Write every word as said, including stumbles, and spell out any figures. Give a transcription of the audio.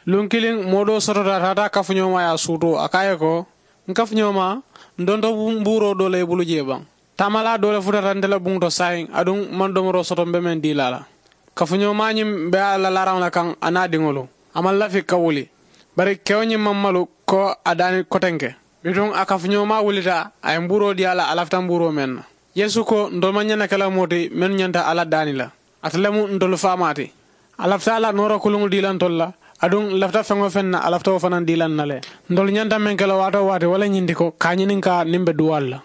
Luŋ kiliŋ moo doo sotota a taata a kafuñoomaa ye a suutoo a ko a ye ko, n kafuñoomaa, n donto mbuuroo doo le i bulu jee baŋ. Taamalaa doo le futata nte la buŋo to saayiŋ aduŋ maŋ domoroo soto m be meŋ dii la a la. Kafuñoomaa ñiŋ be a la laaraŋo le kaŋ a niŋ a diŋolu, a maŋ lafi ka wuli. Bari kewo ñiŋ maŋ malu ko a daani kotenke. Bituŋ a kafuñoomaa wulita, a ye mbuuroo dii a la a lafita mbuuroo meŋ na. Yeesu ko, ntolu maŋ ñaŋ na ke la moo ti mennu ñanta alla daani la. Ate le mu ntolu faamaa ti. A lafita a la noora kuluŋo dii la ntolu la, aduŋ n lafita feŋ-wo-feŋ na a lafita wo fanaa dii la n na le. Ntolu ñanta meŋ ke la waati-wo-waati wo le ñiŋ ti ko ka a ñininkaa niŋ m be duwaalu la.